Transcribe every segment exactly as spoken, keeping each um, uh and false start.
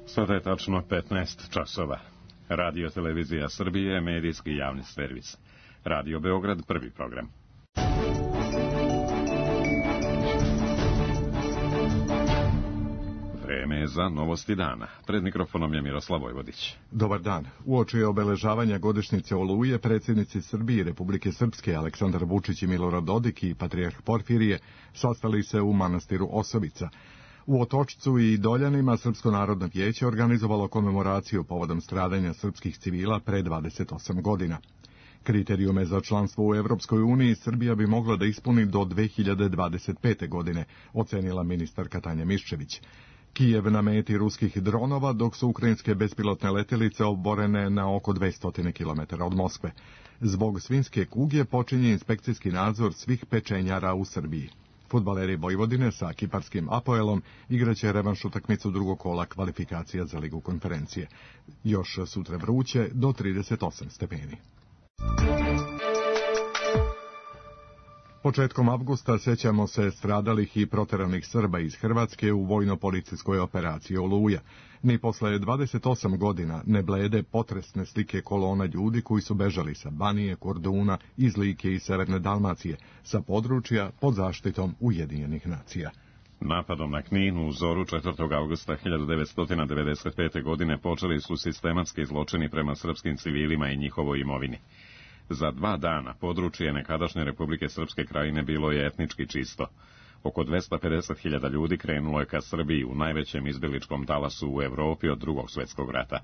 Sada je tačno petnaest časova. Radio Televizija Srbije, medijski javni servis. Radio Beograd, prvi program. Vreme je za novosti dana. Pred mikrofonom je Miroslav Vojvodić. Dobar dan. Uoči obeležavanja godišnjice Oluje, predsjednici Srbije i Republike Srpske Aleksandar Vučić i Milorad Dodik i patrijarh Porfirije sastali se u manastiru Osovica. U Otočcu i Doljanima Srpsko narodno vijeće organizovalo komemoraciju povodom stradanja srpskih civila pre dvadeset osam godina. Kriterijume za članstvo u Evropskoj uniji Srbija bi mogla da ispuni do dve hiljade dvadeset pete. godine, ocenila ministarka Tanja Miščević. Kijev na meti ruskih dronova, dok su ukrajinske bespilotne letelice oborene na oko dvesta kilometara od Moskve. Zbog svinjske kuge počinje inspekcijski nadzor svih pečenjara u Srbiji. Fudbaleri Vojvodine sa kiparskim Apoelom igraće revanš utakmicu drugog kola kvalifikacija za Ligu konferencije. Još sutra vruće do trideset osam stepeni. Početkom avgusta sjećamo se stradalih i proteranih Srba iz Hrvatske u vojno-policijskoj operaciji Oluja. Ni posle dvadeset osam godina ne blede potresne slike kolona ljudi koji su bežali sa Banije, Korduna, iz Like i Severne Dalmacije, sa područja pod zaštitom Ujedinjenih nacija. Napadom na Knin u zoru četvrtog avgusta hiljadu devetsto devedeset pete. godine počeli su sistematski zločini prema srpskim civilima i njihovoj imovini. Za dva dana područje nekadašnje Republike Srpske Krajine bilo je etnički čisto. Oko dvesta pedeset hiljada ljudi krenulo je ka Srbiji u najvećem izbjegličkom talasu u Evropi od drugog svjetskog rata.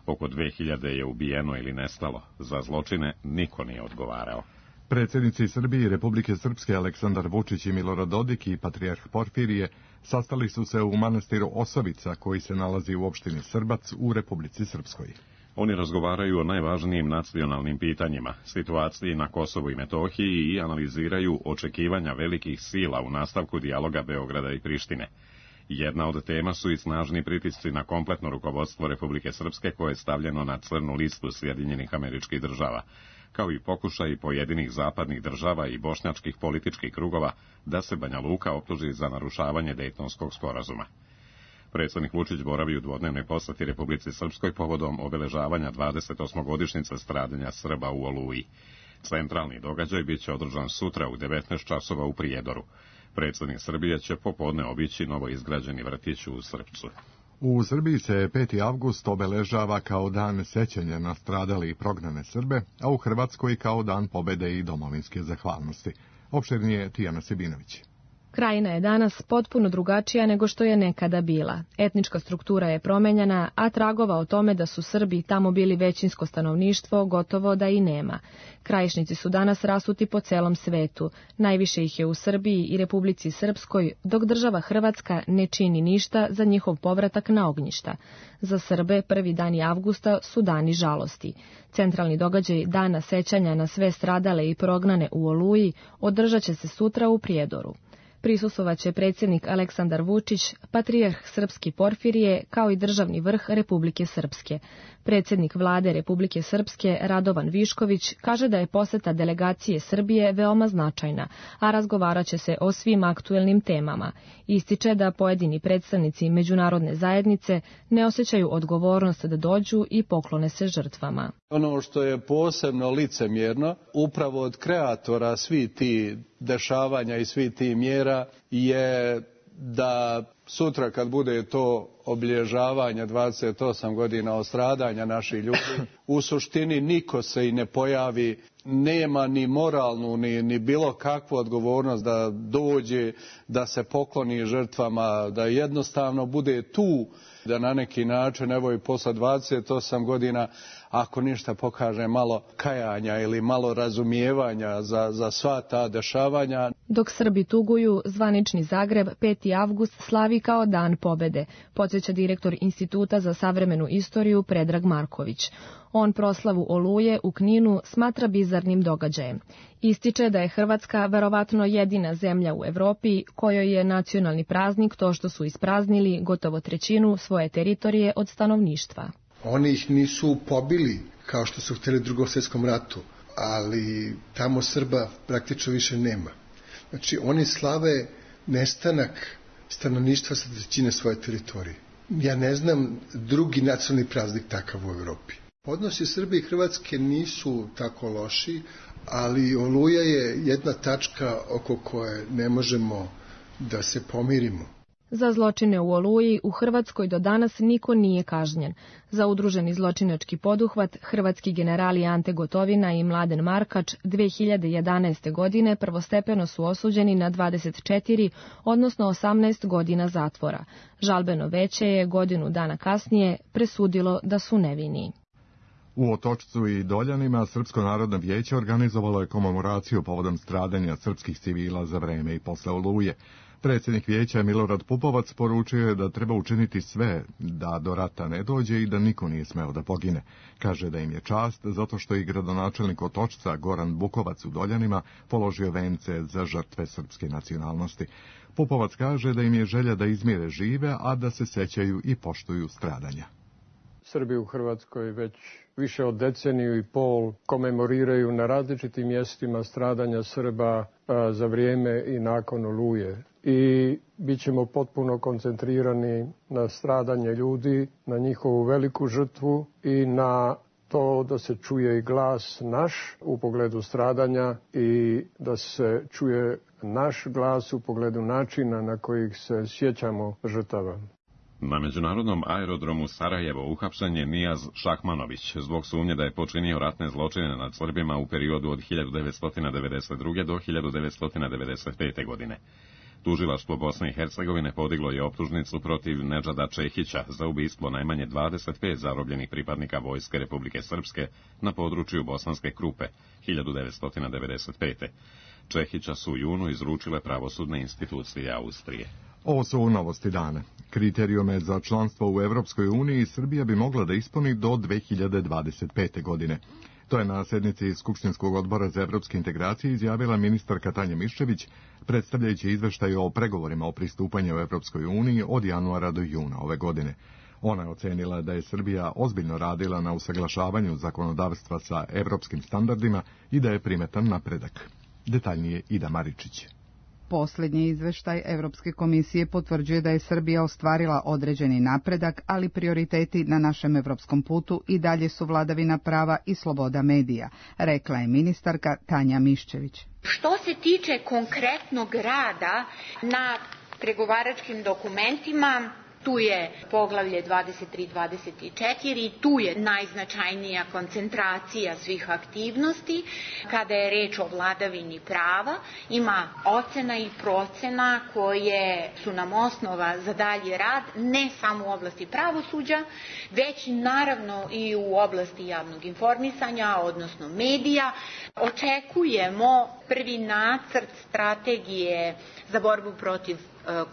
Oko dve hiljade je ubijeno ili nestalo. Za zločine niko nije odgovarao. Predsjednici Srbije i Republike Srpske Aleksandar Vučić i Milorad Dodik i patrijarh Porfirije sastali su se u manastiru Osovica, koji se nalazi u opštini Srbac u Republici Srpskoj. Oni razgovaraju o najvažnijim nacionalnim pitanjima, situaciji na Kosovu i Metohiji i analiziraju očekivanja velikih sila u nastavku dijaloga Beograda i Prištine. Jedna od tema su i snažni pritisci na kompletno rukovodstvo Republike Srpske, koje je stavljeno na crnu listu Sjedinjenih Američkih Država, kao i pokušaj pojedinih zapadnih država i bošnjačkih političkih krugova da se Banja Luka optuži za narušavanje Dejtonskog sporazuma. Predsjednik Vučić boravi u dvodnevnoj posjeti Republici Srpskoj povodom obeležavanja dvadeset osmogodišnjice stradanja Srba u Oluji. Centralni događaj bit će održan sutra u devetnaest časova u Prijedoru. Predsjednik Srbije će popodne obići novoizgrađeni vrtić u Srpcu. U Srbiji se peti avgust obeležava kao dan sećanja na stradale i prognane Srbe, a u Hrvatskoj kao dan pobede i domovinske zahvalnosti. Opširnije Tijana Sebinović. Krajina je danas potpuno drugačija nego što je nekada bila. Etnička struktura je promenjena, a tragova o tome da su Srbi tamo bili većinsko stanovništvo gotovo da i nema. Krajišnici su danas rasuti po celom svetu. Najviše ih je u Srbiji i Republici Srpskoj, dok država Hrvatska ne čini ništa za njihov povratak na ognjišta. Za Srbe prvi dani avgusta su dani žalosti. Centralni događaj Dana sećanja na sve stradale i prognane u Oluji održat će se sutra u Prijedoru. Prisustvovaće predsjednik Aleksandar Vučić, patrijarh Srpski Porfirije, kao i državni vrh Republike Srpske. Predsjednik vlade Republike Srpske Radovan Višković kaže da je poseta delegacije Srbije veoma značajna, a razgovarat će se o svim aktuelnim temama. Ističe da pojedini predstavnici međunarodne zajednice ne osjećaju odgovornost da dođu i poklone se žrtvama. Ono što je posebno licemjerno, upravo od kreatora svi ti dešavanja i svi ti mjera, je da sutra kad bude to obilježavanje dvadeset osam godina od stradanja naših ljudi, u suštini niko se i ne pojavi, nema ni moralnu ni, ni bilo kakvu odgovornost da dođe, da se pokloni žrtvama, da jednostavno bude tu, da na neki način, evo i posle dvadeset osam godina, ako ništa pokaže malo kajanja ili malo razumijevanja za, za sva ta dešavanja. Dok Srbi tuguju, zvanični Zagreb peti avgust slavi kao dan pobede, podsjeća direktor Instituta za savremenu istoriju Predrag Marković. On proslavu Oluje u Kninu smatra bizarnim događajem. Ističe da je Hrvatska verovatno jedina zemlja u Evropi kojoj je nacionalni praznik to što su ispraznili gotovo trećinu svoje teritorije od stanovništva. Oni ih nisu pobili kao što su htjeli u Drugom svjetskom ratu, ali tamo Srba praktično više nema. Znači oni slave nestanak stanovništva sa trećine svoje teritorije. Ja ne znam drugi nacionalni praznik takav u Europi. Odnosi Srbije i Hrvatske nisu tako loši, ali Oluja je jedna tačka oko koje ne možemo da se pomirimo. Za zločine u Oluji u Hrvatskoj do danas niko nije kažnjen. Za udruženi zločinački poduhvat hrvatski generali Ante Gotovina i Mladen Markač dve hiljade jedanaeste. godine prvostepeno su osuđeni na dvadeset četiri, odnosno osamnaest godina zatvora. Žalbeno veće je godinu dana kasnije presudilo da su nevini. U Otočcu i Doljanima Srpsko narodno vijeće organizovalo je komemoraciju povodom stradanja srpskih civila za vreme i posle Oluje. Predsjednik vijeća Milorad Pupovac poručio je da treba učiniti sve da do rata ne dođe i da niko nije smeo da pogine. Kaže da im je čast zato što i gradonačelnik Otočca Goran Bukovac u Doljanima položio vence za žrtve srpske nacionalnosti. Pupovac kaže da im je želja da izmire žive, a da se sećaju i poštuju stradanja. Srbi u Hrvatskoj već više od deceniju i pol komemoriraju na različitim mjestima stradanja Srba za vrijeme i nakon Oluje. I bit ćemo potpuno koncentrirani na stradanje ljudi, na njihovu veliku žrtvu i na to da se čuje i glas naš u pogledu stradanja i da se čuje naš glas u pogledu načina na kojih se sjećamo žrtava. Na međunarodnom aerodromu Sarajevo uhapšen je Nijaz Šahmanović zbog sumnje da je počinio ratne zločine nad Srbima u periodu od hiljadu devetsto devedeset druge. do hiljadu devetsto devedeset pete. godine. Tužilaštvo Bosne i Hercegovine podiglo je optužnicu protiv Nedžada Čehića za ubistvo najmanje dvadeset pet zarobljenih pripadnika Vojske Republike Srpske na području Bosanske Krupe hiljadu devetsto devedeset pete. Čehića su u junu izručile pravosudne institucije Austrije. Ovo su novosti dana. Kriterijume za članstvo u Evropskoj uniji Srbija bi mogla da ispuni do dve hiljade dvadeset pete. godine. To je na sednici Skupštinskog odbora za evropske integracije izjavila ministarka Tanja Miščević, predstavljajući izveštaj o pregovorima o pristupanju u Evropskoj uniji od januara do juna ove godine. Ona je ocenila da je Srbija ozbiljno radila na usaglašavanju zakonodavstva sa evropskim standardima i da je primetan napredak. Detaljnije Ida Maričić. Posljednji izveštaj Evropske komisije potvrđuje da je Srbija ostvarila određeni napredak, ali prioriteti na našem evropskom putu i dalje su vladavina prava i sloboda medija, rekla je ministarka Tanja Miščević. Što se tiče konkretnog rada na pregovaračkim dokumentima, tu je poglavlje dvadeset tri dvadeset četiri, tu je najznačajnija koncentracija svih aktivnosti. Kada je reč o vladavini prava, ima ocena i procena koje su nam osnova za dalji rad, ne samo u oblasti pravosuđa, već naravno i u oblasti javnog informisanja, odnosno medija. Očekujemo prvi nacrt strategije za borbu protiv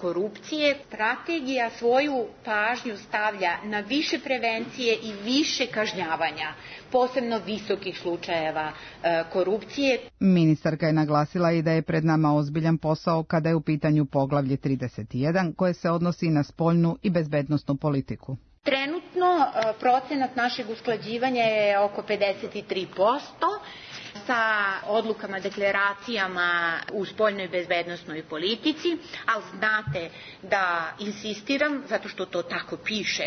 korupcije. Strategija svoju pažnju stavlja na više prevencije i više kažnjavanja, posebno visokih slučajeva korupcije. Ministarka je naglasila i da je pred nama ozbiljan posao kada je u pitanju poglavlje trideset jedan, koje se odnosi na spoljnu i bezbednosnu politiku. Trenutno procenat našeg usklađivanja je oko pedeset tri posto. Sa odlukama, deklaracijama u spoljnoj bezbednosnoj politici, ali znate da insistiram, zato što to tako piše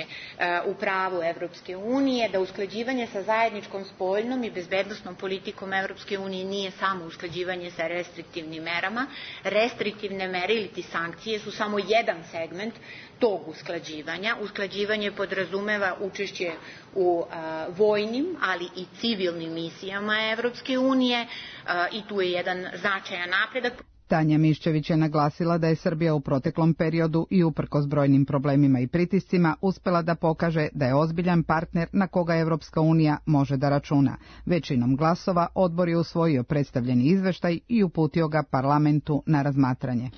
u pravu Evropske unije, da usklađivanje sa zajedničkom spoljnom i bezbednosnom politikom Evropske unije nije samo usklađivanje sa restriktivnim merama. Restriktivne mere ili ti sankcije su samo jedan segment tog usklađivanja. Usklađivanje podrazumeva učešće u a, vojnim, ali i civilnim misijama Evropske unije a, i tu je jedan značajan napredak. Tanja Miščević je naglasila da je Srbija u proteklom periodu i uprkos brojnim problemima i pritiscima uspela da pokaže da je ozbiljan partner na koga Evropska unija može da računa. Većinom glasova odbor je usvojio predstavljeni izveštaj i uputio ga parlamentu na razmatranje.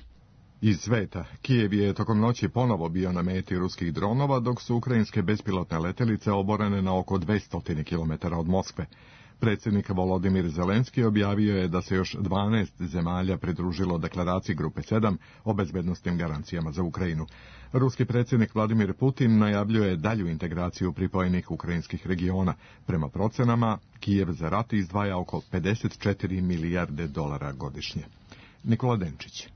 Iz sveta, Kijev je tokom noći ponovo bio na meti ruskih dronova, dok su ukrajinske bespilotne letelice oborene na oko dvesta kilometara od Moskve. Predsjednik Volodimir Zelenski objavio je da se još dvanaest zemalja pridružilo deklaraciji Grupe sedam o bezbednosnim garancijama za Ukrajinu. Ruski predsjednik Vladimir Putin najavljuje dalju integraciju pripojenih ukrajinskih regiona. Prema procenama, Kijev za rat izdvaja oko pedeset četiri milijarde dolara godišnje. Nikola Denčić.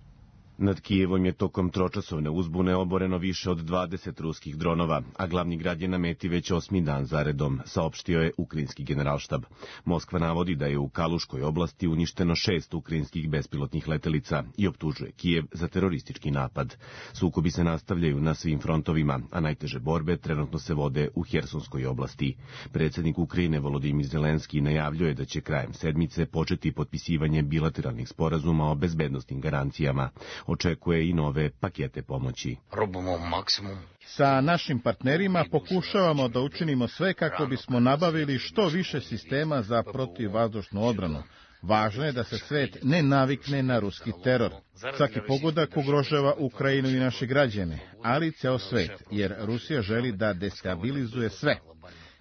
Nad Kijevom je tokom tročasovne uzbune oboreno više od dvadeset ruskih dronova, a glavni grad je na meti već osmi dan zaredom, saopštio je ukrajinski generalštab. Moskva navodi da je u Kaluškoj oblasti uništeno šest ukrajinskih bespilotnih letelica i optužuje Kijev za teroristički napad. Sukobi se nastavljaju na svim frontovima, a najteže borbe trenutno se vode u Hersonskoj oblasti. Predsjednik Ukrajine Volodimir Zelenski najavljuje da će krajem sedmice početi potpisivanje bilateralnih sporazuma o bezbednosnim garancijama. Očekuje i nove pakete pomoći. Sa našim partnerima pokušavamo da učinimo sve kako bismo nabavili što više sistema za protivvazdušnu odbranu. Važno je da se svet ne navikne na ruski teror. Svaki pogodak ugrožava Ukrajinu i naše građane, ali i ceo svet, jer Rusija želi da destabilizuje sve.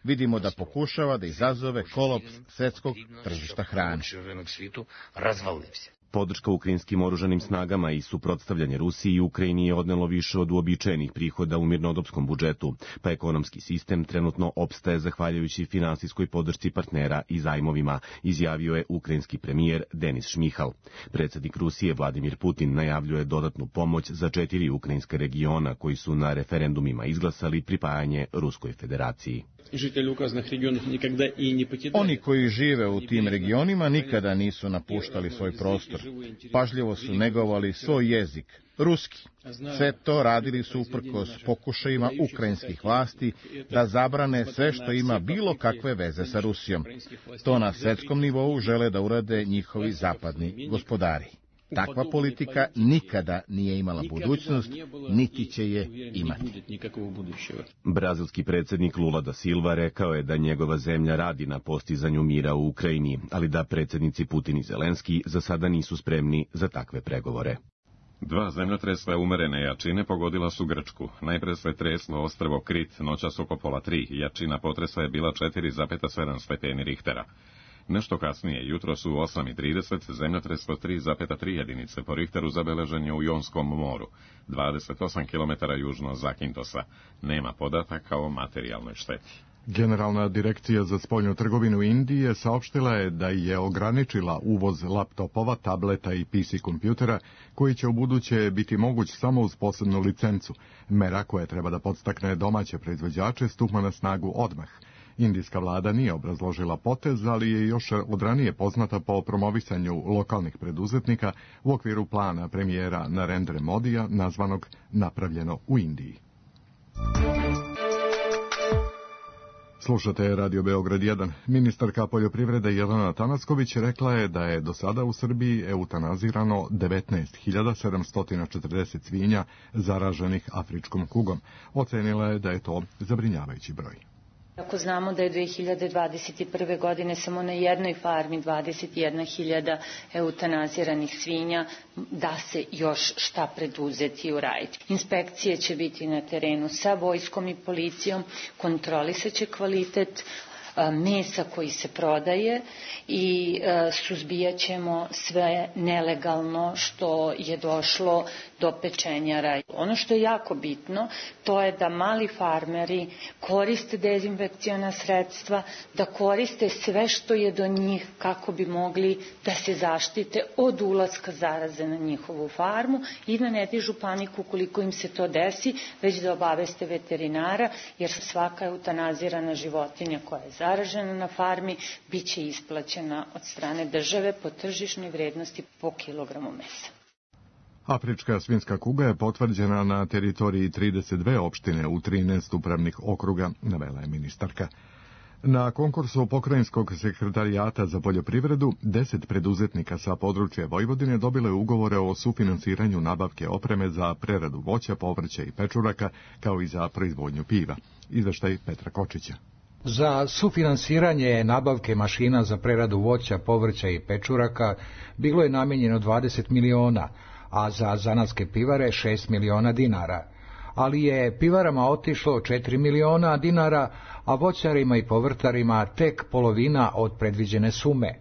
Vidimo da pokušava da izazove kolaps svetskog tržišta hrane. Podrška ukrajinskim oružanim snagama i suprotstavljanje Rusiji i Ukrajini je odnelo više od uobičajenih prihoda u mirnodopskom budžetu, pa ekonomski sistem trenutno opstaje zahvaljujući finansijskoj podršci partnera i zajmovima, izjavio je ukrajinski premijer Denis Šmihal. Predsjednik Rusije Vladimir Putin najavljuje dodatnu pomoć za četiri ukrajinska regiona koji su na referendumima izglasali pripajanje Ruskoj federaciji. Oni koji žive u tim regionima nikada nisu napuštali svoj prostor. Pažljivo su negovali svoj jezik, ruski. Sve to radili su uprkos pokušajima ukrajinskih vlasti da zabrane sve što ima bilo kakve veze sa Rusijom. To na svetskom nivou žele da urade njihovi zapadni gospodari. Takva politika nikada nije imala budućnost, niti će je imati. Brazilski predsjednik Lula da Silva rekao je da njegova zemlja radi na postizanju mira u Ukrajini, ali da predsjednici Putin i Zelenski za sada nisu spremni za takve pregovore. Dva zemljotresa umerene jačine pogodila su Grčku. Najpre se treslo ostrvo Krit noćas oko pola tri. Jačina potresa je bila četiri zarez sedam stepeni Richtera. Nešto kasnije, jutro su u osam i trideset, zemljotres od tri zarez tri jedinice po Richteru zabeležen je u Jonskom moru, dvadeset osam kilometara južno Zakintosa. Nema podataka o materijalnoj šteti. Generalna direkcija za spoljnu trgovinu Indije saopštila je da je ograničila uvoz laptopova, tableta i P C kompjutera, koji će u buduće biti moguć samo uz posebnu licencu. Mera koja treba da podstakne domaće proizvođače stupa na snagu odmah. Indijska vlada nije obrazložila potez, ali je još od ranije poznata po promovisanju lokalnih preduzetnika u okviru plana premijera Narendra Modija, nazvanog Napravljeno u Indiji. Slušate Radio Beograd jedan. Ministarka poljoprivrede Jelena Tanasković rekla je da je do sada u Srbiji eutanazirano devetnaest hiljada sedamsto četrdeset svinja zaraženih afričkom kugom. Ocenila je da je to zabrinjavajući broj. Ako znamo da je dve hiljade dvadeset prve. godine samo na jednoj farmi dvadeset jedna hiljada eutanaziranih svinja, da se još šta preduzeti i uraditi. Inspekcije će biti na terenu sa vojskom i policijom, kontrolisat će kvalitet mesa koji se prodaje i suzbijat ćemo sve nelegalno što je došlo do pečenjara. Ono što je jako bitno, to je da mali farmeri koriste dezinfekciona sredstva, da koriste sve što je do njih kako bi mogli da se zaštite od ulaska zaraze na njihovu farmu i da ne dižu paniku koliko im se to desi, već da obaveste veterinara, jer svaka eutanazirana životinja koja je zaražena na farmi bit će isplaćena od strane države po tržišnoj vrednosti po kilogramu mesa. Afrička svinjska kuga je potvrđena na teritoriji trideset dve opštine u trinaest upravnih okruga, navela je ministarka. Na konkursu Pokrajinskog sekretarijata za poljoprivredu, deset preduzetnika sa područja Vojvodine dobile ugovore o sufinansiranju nabavke opreme za preradu voća, povrća i pečuraka, kao i za proizvodnju piva. Izveštaj Petra Kočića. Za sufinansiranje nabavke mašina za preradu voća, povrća i pečuraka bilo je namijenjeno dvadeset miliona, a za zanatske pivare šest miliona dinara. Ali je pivarama otišlo četiri miliona dinara, a voćarima i povrtarima tek polovina od predviđene sume.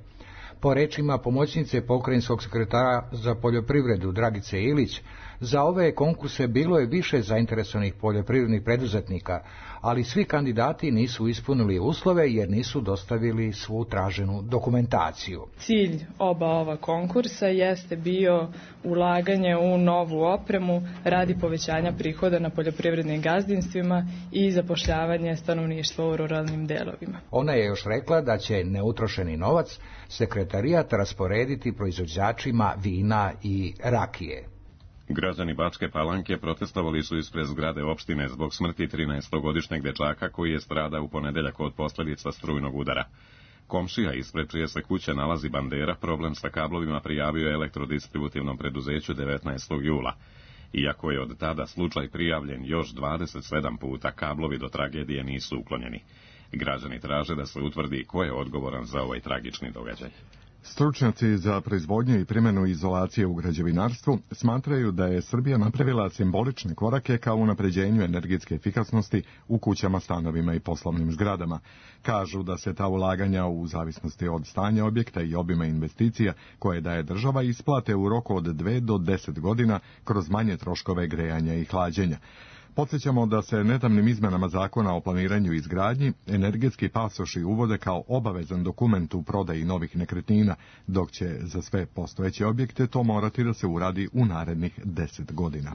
Po rečima pomoćnice pokrajinskog sekretara za poljoprivredu Dragice Ilić, Za ove konkurse bilo je više zainteresovanih poljoprivrednih preduzetnika, ali svi kandidati nisu ispunili uslove jer nisu dostavili svu traženu dokumentaciju. Cilj oba ova konkursa jeste bio ulaganje u novu opremu radi povećanja prihoda na poljoprivrednim gazdinstvima i zapošljavanje stanovništva u ruralnim delovima. Ona je još rekla da će neutrošeni novac sekretarijat rasporediti proizvođačima vina i rakije. Građani Bačke Palanke protestovali su ispred zgrade opštine zbog smrti trinaestogodišnjeg dečaka koji je stradao u ponedeljak od posljedica strujnog udara. Komšija ispred čije se kuće nalazi bandera problem sa kablovima prijavio elektrodistributivnom preduzeću devetnaestog jula. Iako je od tada slučaj prijavljen još dvadeset sedam puta, kablovi do tragedije nisu uklonjeni. Građani traže da se utvrdi ko je odgovoran za ovaj tragični događaj. Stručnjaci za proizvodnju i primjenu izolacije u građevinarstvu smatraju da je Srbija napravila simbolične korake ka unapređenju energetske efikasnosti u kućama, stanovima i poslovnim zgradama. Kažu da se ta ulaganja u zavisnosti od stanja objekta i obima investicija koje daje država isplate u roku od dve do deset godina kroz manje troškove grejanja i hlađenja. Podsjećamo da se nedavnim izmenama zakona o planiranju i izgradnji energetski pasoši uvode kao obavezan dokument u prodaji novih nekretnina, dok će za sve postojeće objekte to morati da se uradi u narednih deset godina.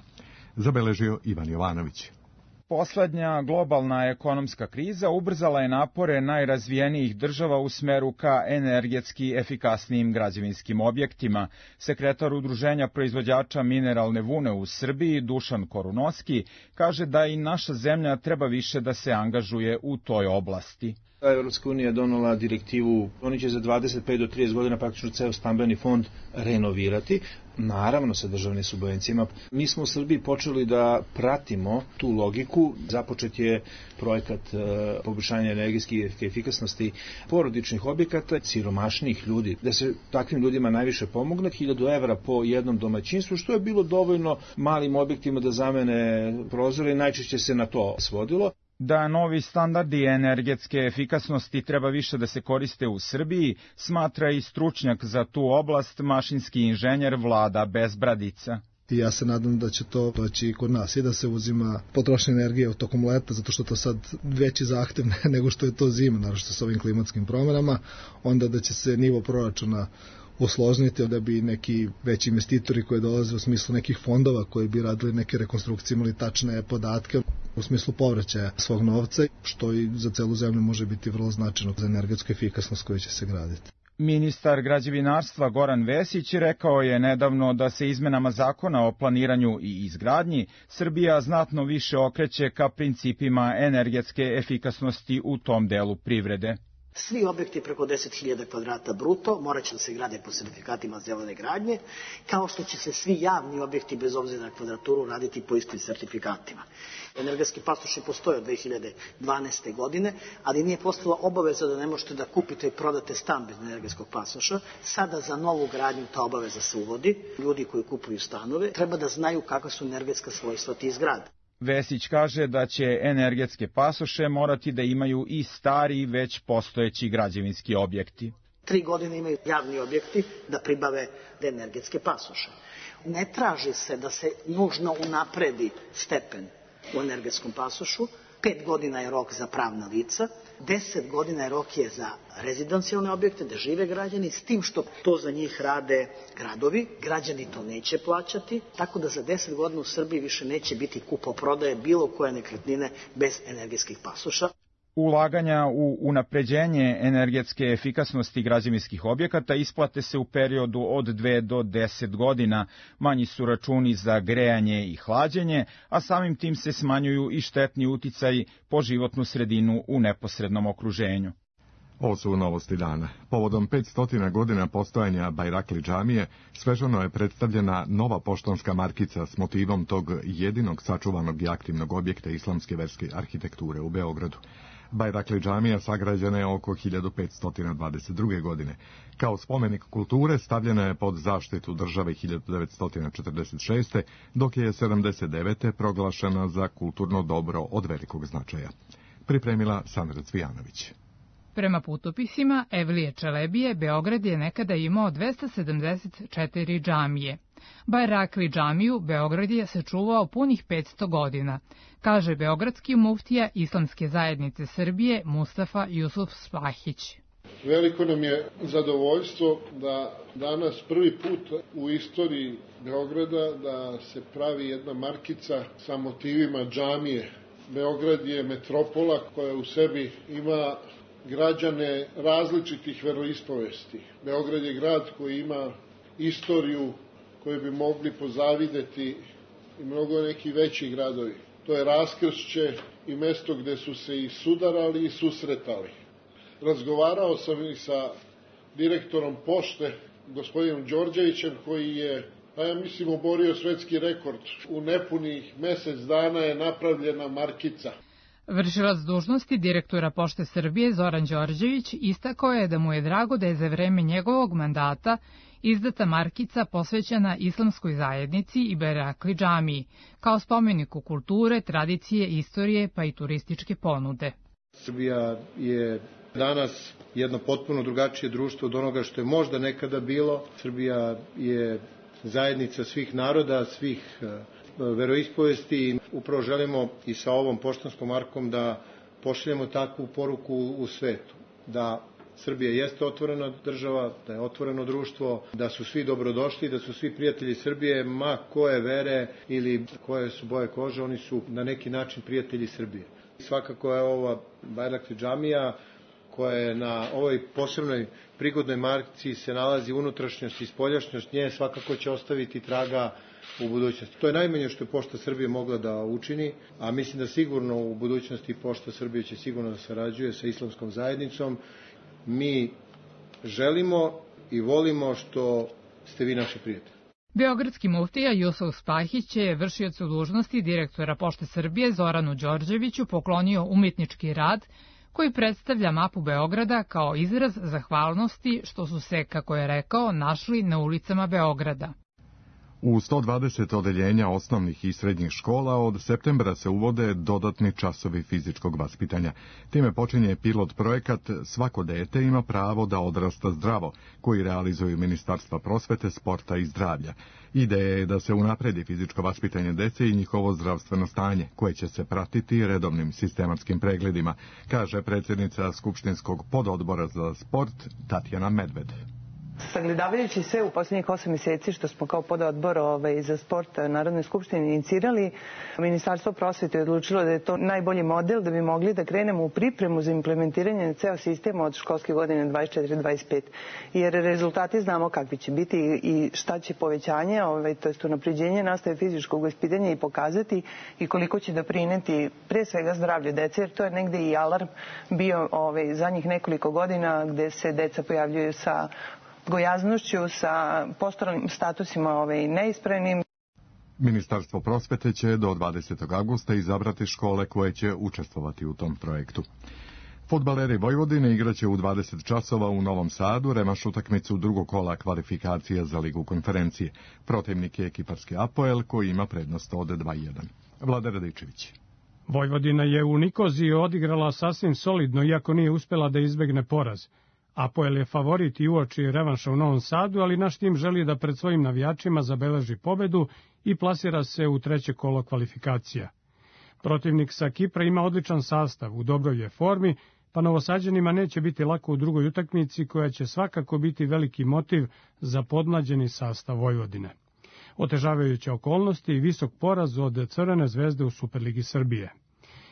Zabeležio Ivan Jovanović. Poslednja globalna ekonomska kriza ubrzala je napore najrazvijenijih država u smeru ka energetski efikasnijim građevinskim objektima. Sekretar Udruženja proizvođača mineralne vune u Srbiji, Dušan Korunoski, kaže da i naša zemlja treba više da se angažuje u toj oblasti. Evropska unija je donela direktivu, oni će za dvadeset pet do trideset godina praktično ceo stambeni fond renovirati, naravno sa državnim subvencijama. Mi smo u Srbiji počeli da pratimo tu logiku. Započet je projekat poboljšanja energetske efikasnosti porodičnih objekata, siromašnih ljudi, da se takvim ljudima najviše pomogne. Hiljadu evra po jednom domaćinstvu, što je bilo dovoljno malim objektima da zamene prozore i najčešće se na to svodilo. Da novi standardi energetske efikasnosti treba više da se koriste u Srbiji, smatra i stručnjak za tu oblast, mašinski inženjer Vlada Bezbradica. I ja se nadam da će to doći i kod nas i da se uzima potrošnja energije tokom leta, zato što to sad veći zahtev nego što je to zima, naravno sa ovim klimatskim promjenama, onda da će se nivo proračuna usložniti, da bi neki veći investitori koji dolaze u smislu nekih fondova koji bi radili neke rekonstrukcije imali tačne podatke u smislu povraćaja svog novca, što i za celu zemlju može biti vrlo značajno za energetsku efikasnost koju će se graditi. Ministar građevinarstva Goran Vesić rekao je nedavno da se izmenama zakona o planiranju i izgradnji Srbija znatno više okreće ka principima energetske efikasnosti u tom delu privrede. Svi objekti preko deset hiljada kvadrata bruto morat će da se grade po sertifikatima zelene gradnje, kao što će se svi javni objekti bez obzira na kvadraturu raditi po istim sertifikatima. Energetski pasoši postoje od dve hiljade dvanaeste. godine, ali nije postala obaveza da ne možete da kupite i prodate stan bez energetskog pasoša. Sada za novu gradnju ta obaveza se uvodi. Ljudi koji kupuju stanove treba da znaju kakva su energetska svojstva tih zgrada. Vesić kaže da će energetske pasoše morati da imaju i stari već postojeći građevinski objekti. Tri godine imaju javni objekti da pribave energetske pasoše. Ne traži se da se nužno unapredi stepen u energetskom pasošu. Pet godina je rok za pravna lica, deset godina je rok je za rezidencijalne objekte, da žive građani, s tim što to za njih rade gradovi. Građani to neće plaćati, tako da za deset godina u Srbiji više neće biti kupo-prodaje bilo koje nekretnine bez energetskih pasoša. Ulaganja u unapređenje energetske efikasnosti građevinskih objekata isplate se u periodu od dve do deset godina. Manji su računi za grejanje i hlađenje, a samim tim se smanjuju i štetni uticaji po životnu sredinu u neposrednom okruženju. Ovo su novosti dana. Povodom petsto godina postojanja Bajrakli džamije, svežano je predstavljena nova poštanska markica s motivom tog jedinog sačuvanog i aktivnog objekta islamske verske arhitekture u Beogradu. Bajrakli džamija sagrađena je oko hiljadu petsto dvadeset druge. godine. Kao spomenik kulture stavljena je pod zaštitu države hiljadu devetsto četrdeset šeste. dok je sedamdeset devete. proglašena za kulturno dobro od velikog značaja. Pripremila Sandra Cvijanović. Prema putopisima Evlije Čelebije, Beograd je nekada imao dvesta sedamdeset četiri džamije. Bajrakli džamiju Beograd je sačuvao punih petsto godina, kaže beogradski muftija Islamske zajednice Srbije Mustafa Jusuf Spahić. Veliko nam je zadovoljstvo da danas prvi put u istoriji Beograda da se pravi jedna markica sa motivima džamije. Beograd je metropola koja u sebi ima građane različitih veroispovesti. Beograd je grad koji ima istoriju koju bi mogli pozavideti i mnogo neki veći gradovi. To je raskršće i mesto gde su se i sudarali i susretali. Razgovarao sam i sa direktorom pošte, gospodinom Đorđevićem, koji je, pa ja mislim, oborio svetski rekord. U nepunih mesec dana je napravljena markica. Vršilac dužnosti direktora Pošte Srbije Zoran Đorđević istakao je da mu je drago da je za vreme njegovog mandata izdata markica posvećena islamskoj zajednici i Bajrakli džamiji, kao spomeniku kulture, tradicije, istorije pa i turističke ponude. Srbija je danas jedno potpuno drugačije društvo od onoga što je možda nekada bilo. Srbija je zajednica svih naroda, svih veroispovesti. Upravo želimo i sa ovom poštanskom markom da pošaljemo takvu poruku u svetu, da Srbija jeste otvorena država, da je otvoreno društvo, da su svi dobrodošli, da su svi prijatelji Srbije, ma koje vere ili koje su boje kože, oni su na neki način prijatelji Srbije. Svakako je ova Bajrakli džamija koja je na ovoj posebnoj prigodnoj marci se nalazi unutrašnjost i spoljašnjost nje, svakako će ostaviti traga u budućnosti. To je najmanje što je Pošta Srbije mogla da učini, a mislim da sigurno u budućnosti Pošta Srbije će sigurno da sarađuje sa islamskom zajednicom. Mi želimo i volimo što ste vi naši prijatelji. Beogradski muftija Jusuf Spahić je vršiocu dužnosti direktora Pošte Srbije Zoranu Đorđeviću poklonio umetnički rad koji predstavlja mapu Beograda kao izraz zahvalnosti što su se, kako je rekao, našli na ulicama Beograda. U sto dvadeset odeljenja osnovnih i srednjih škola od septembra se uvode dodatni časovi fizičkog vaspitanja. Time počinje pilot projekat Svako dete ima pravo da odrasta zdravo, koji realizuju Ministarstva prosvete, sporta i zdravlja. Ideja je da se unapredi fizičko vaspitanje dece i njihovo zdravstveno stanje, koje će se pratiti redovnim sistematskim pregledima, kaže predsjednica Skupštinskog pododbora za sport Tatjana Medved. Sagledavajući sve u posljednjih osam mjeseci što smo kao pododbor ovaj, za sport Narodne skupštine inicirali, Ministarstvo prosvete je odlučilo da je to najbolji model da bi mogli da krenemo u pripremu za implementiranje ceo sistema od školske godine dvadeset četiri dvadeset pet. Jer rezultati znamo kakvi će biti i šta će povećanje, ovaj, to jest unapređenje nastave fizičkog vaspitanja i pokazati i koliko će doprineti pre svega zdravlju dece, jer to je negde i alarm bio ovaj, zadnjih nekoliko godina gde se deca pojavljuju sa gojaznošću, sa posturalnim statusima ovaj, neispravnim. Ministarstvo prosvete će do dvadesetog avgusta izabrati škole koje će učestvovati u tom projektu. Fudbaleri Vojvodine igraće u dvadeset časova u Novom Sadu revanš utakmicu drugog kola kvalifikacija za Ligu konferencije. Protivnik je ekiparski Apoel koji ima prednost od dva jedan. Vlada Radičević. Vojvodina je u Nikoziji odigrala sasvim solidno, iako nije uspela da izbegne poraz. Apoel je favorit i uoči revanša u Novom Sadu, ali naš tim želi da pred svojim navijačima zabeleži pobedu i plasira se u treće kolo kvalifikacija. Protivnik sa Kipra ima odličan sastav, u dobroj je formi, pa Novosađanima neće biti lako u drugoj utakmici koja će svakako biti veliki motiv za podmlađeni sastav Vojvodine. Otežavajuće okolnosti i visok poraz od Crvene zvezde u Superligi Srbije.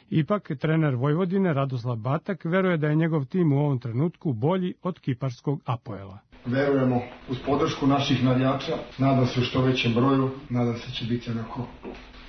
Ipak, trener Vojvodine Radoslav Batak veruje da je njegov tim u ovom trenutku bolji od kiparskog Apoela. Verujemo uz podršku naših navijača, nadam se u što većem broju, nadam se će biti onako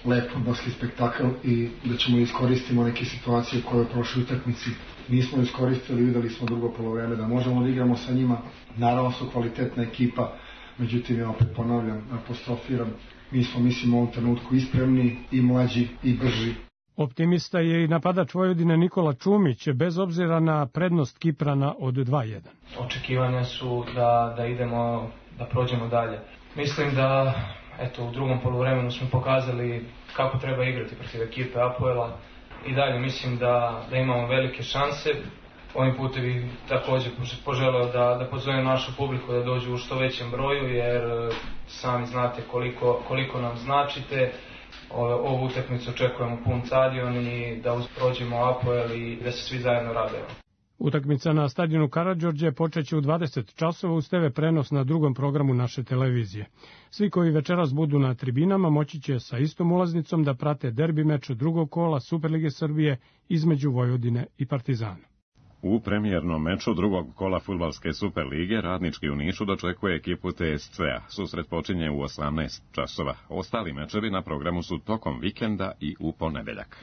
lep fudbalski spektakl i da ćemo iskoristiti neke situacije koje u prošloj utakmici nismo iskoristili, videli smo drugo polovreme da možemo da igramo sa njima. Naravno su kvalitetna ekipa, međutim ja opet ponavljam, apostrofiram, mi smo mislim u ovom trenutku i spremni, i mlađi, i brži. Optimista je i napadač Vojvodine Nikola Čumić, bez obzira na prednost Kiprana od dva jedan. Očekivanja su da, da idemo, da prođemo dalje. Mislim da eto, u drugom poluvremenu smo pokazali kako treba igrati protiv ekipe Apoela i dalje mislim da, da imamo velike šanse. Ovim putem bih također poželeo da, da pozovem našu publiku da dođu u što većem broju, jer sami znate koliko, koliko nam značite. Ovu utakmicu očekujemo pun stadion i da prođemo Apoel i da se svi zajedno radujemo. Utakmica na stadionu Karađorđe počeće u dvadeset časova uz te ve prenos na drugom programu naše televizije. Svi koji večeras budu na tribinama moći će sa istom ulaznicom da prate derbi meč drugog kola Superlige Srbije između Vojvodine i Partizana. U premijernom meču drugog kola fudbalske Superlige Radnički u Nišu dočekuje ekipu te es ce a. Susret počinje u osamnaest časova. Ostali mečevi na programu su tokom vikenda i u ponedeljak.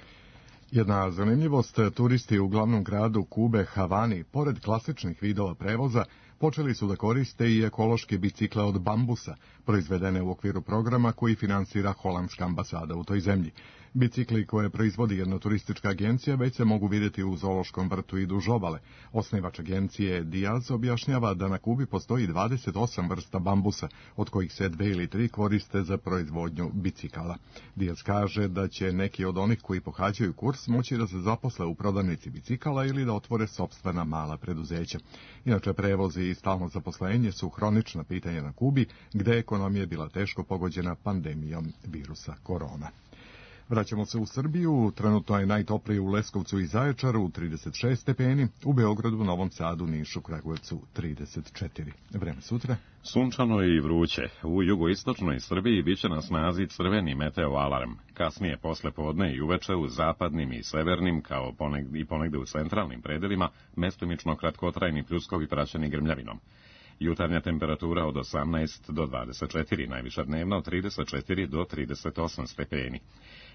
Jedna zanimljivost, turisti u glavnom gradu Kube, Havani, pored klasičnih vidova prevoza, počeli su da koriste i ekološke bicikle od bambusa, proizvedene u okviru programa koji finansira holandska ambasada u toj zemlji. Bicikli koje proizvodi jedna turistička agencija već se mogu vidjeti u zoološkom vrtu i duž obale. Osnivač agencije Diaz objašnjava da na Kubi postoji dvadeset osam vrsta bambusa, od kojih se dve ili tri koriste za proizvodnju bicikala. Diaz kaže da će neki od onih koji pohađaju kurs moći da se zaposle u prodavnici bicikala ili da otvore sopstvena mala preduzeća. Inače, prevozi i stalno zaposlenje su hronična pitanja na Kubi, gde je ekonomija bila teško pogođena pandemijom virusa korona. Vraćamo se u Srbiju, trenutno je najtoplije u Leskovcu i Zaječaru, trideset šest stepeni, u Beogradu, Novom Sadu, Nišu, Kragujevcu, trideset četiri. Vreme sutra? Sunčano i vruće. U jugoistočnoj Srbiji biće na snazi crveni meteo alarm. Kasnije posle podne i uveče u zapadnim i severnim, kao ponegde, i ponegde u centralnim predelima, mestimično kratkotrajni pljuskovi praćeni grmljavinom. Jutarnja temperatura od osamnaest do dvadeset četiri, najviša dnevna od trideset četiri do trideset osam stepeni.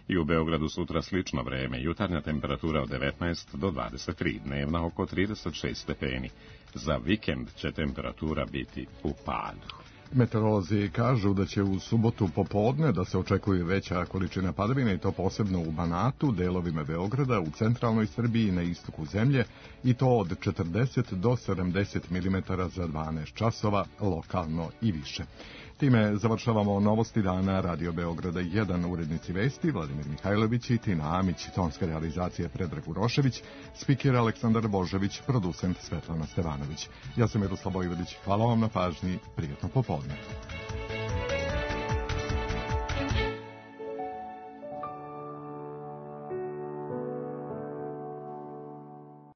I u Beogradu sutra slično vreme, jutarnja temperatura od devetnaest do dvadeset tri, dnevna oko trideset šest stepeni. Za vikend će temperatura biti u padu. Meteorolozi kažu da će u subotu popodne da se očekuje veća količina padavina i to posebno u Banatu, delovima Beograda, u centralnoj Srbiji i na istoku zemlje i to od četrdeset do sedamdeset milimetara za dvanaest časova, lokalno i više. Time završavamo novosti dana Radio Beograda jedan, urednici vesti Vladimir Mihajlović i Tina Amić, tonska realizacija Predrag Urošević, spiker Aleksandar Božević, producent Svetlana Stevanović. Ja sam Miroslav Vojvodić, hvala vam na pažnji, prijatno popodne.